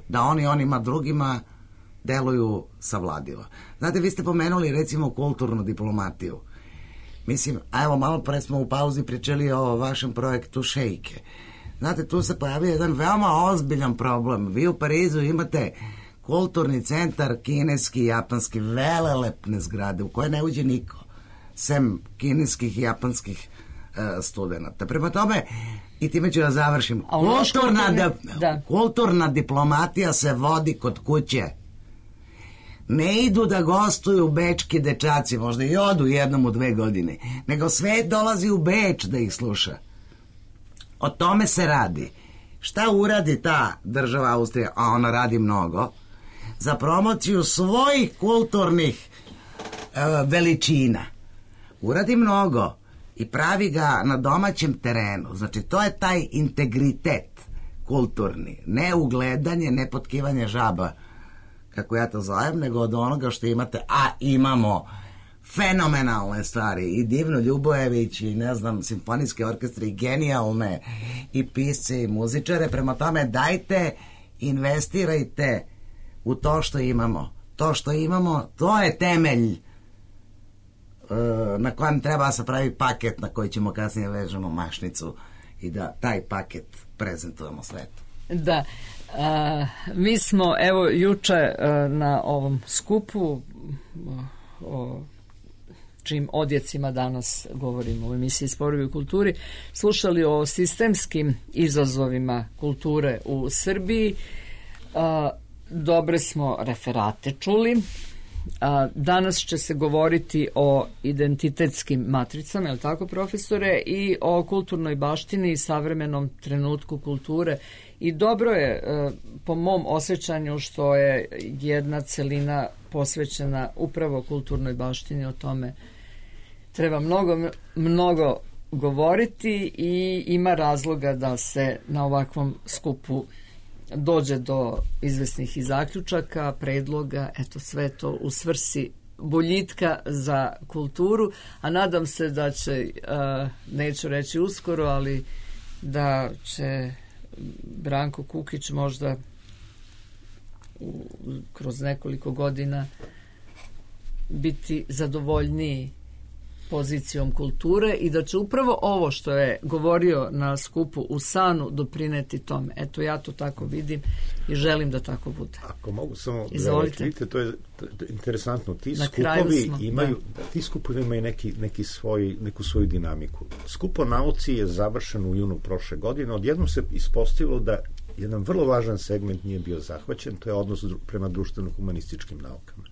da oni onima drugima deluju savladivo. Znate, vi ste pomenuli recimo kulturnu diplomatiju. Mislim, a evo malo pre smo u pauzi pričali o vašem projektu Šejke. Znate, tu se pojavio jedan veoma ozbiljan problem. Vi u Parizu imate kulturni centar kineski i japanski, velelepne zgrade u koje ne uđe niko, sem kineskih i japanskih studenta. Prema tome, i time ću da završim, kulturna diplomatija se vodi kod kuće. Ne idu da gostuju bečki dečaci, možda i odu jednom u 2 godine, nego svet dolazi u Beč da ih sluša. O tome se radi. Šta uradi ta država Austrija, a ona radi mnogo, za promociju svojih kulturnih veličina. Uradi mnogo i pravi ga na domaćem terenu. Znači, to je taj integritet kulturni. Ne ugledanje, ne potkivanje žaba, kako ja to zovem, nego od onoga što imate, a imamo fenomenalne stvari, i Divno Ljubojević, i ne znam, simfonijske orkestre, i genijalne, i pisce, i muzičare. Prema tome, dajte, investirajte u to što imamo. To što imamo, to je temelj na kojem treba se pravi paket na koji ćemo kasnije vežemo mašnicu i da taj paket prezentujemo svetu. Da, mi smo evo juče na ovom skupu o čim odjecima danas govorimo u emisiji Sporovi u kulturi, slušali o sistemskim izazovima kulture u Srbiji. Dobre smo referate čuli. Danas će se govoriti o identitetskim matricama, je li tako, profesore, i o kulturnoj baštini i savremenom trenutku kulture. I dobro je, po mom osjećanju, što je jedna celina posvećena upravo kulturnoj baštini. O tome treba mnogo govoriti i ima razloga da se na ovakvom skupu dođe do izvesnih i zaključaka, predloga, eto sve to u svrsi boljitka za kulturu, a nadam se da će, neću reći uskoro, ali da će Branko Kukić možda kroz nekoliko godina biti zadovoljniji pozicijom kulture i da će upravo ovo što je govorio na skupu u Sanu doprineti tome. Eto, ja to tako vidim i želim da tako bude. Ako mogu samo Izvolite. Vidite, to je interesantno. Ti skupovi imaju, ti skupovi imaju neku svoju dinamiku. Skup o nauci je završen u junu prošle godine. Odjednom se ispostavilo da jedan vrlo važan segment nije bio zahvaćen, to je odnos prema društveno-humanističkim naukama.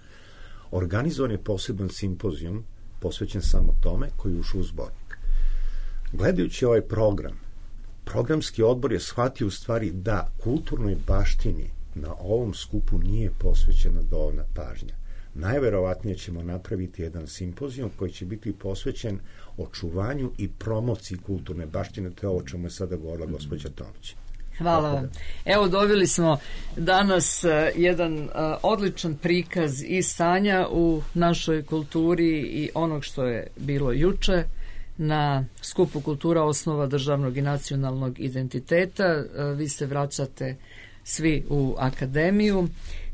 Organizovan je poseban simpozijum posvećen samo tome, koji je ušao u zbornik. Gledajući ovaj program, programski odbor je shvatio u stvari da kulturnoj baštini na ovom skupu nije posvećena dovoljna pažnja. Najverovatnije ćemo napraviti jedan simpozijum koji će biti posvećen očuvanju i promociji kulturne baštine, to je ovo čemu je sada govorila gospođa Tomić. Hvala vam. Evo, dobili smo danas jedan odličan prikaz i stanja u našoj kulturi i onog što je bilo juče na skupu Kultura osnova državnog i nacionalnog identiteta. Vi se vraćate svi u akademiju.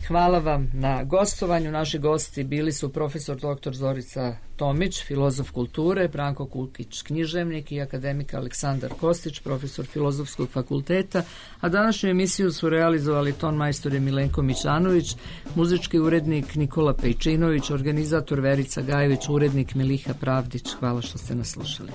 Hvala vam na gostovanju. Naši gosti bili su profesor dr. Zorica Tomić, filozof kulture, Branko Kukić, književnik, i akademik Aleksandar Kostić, profesor Filozofskog fakulteta, a današnju emisiju su realizovali ton majstor Milenko Mićanović, muzički urednik Nikola Pejčinović, organizator Verica Gajević, urednik Miliha Pravdić. Hvala što ste nas slušali.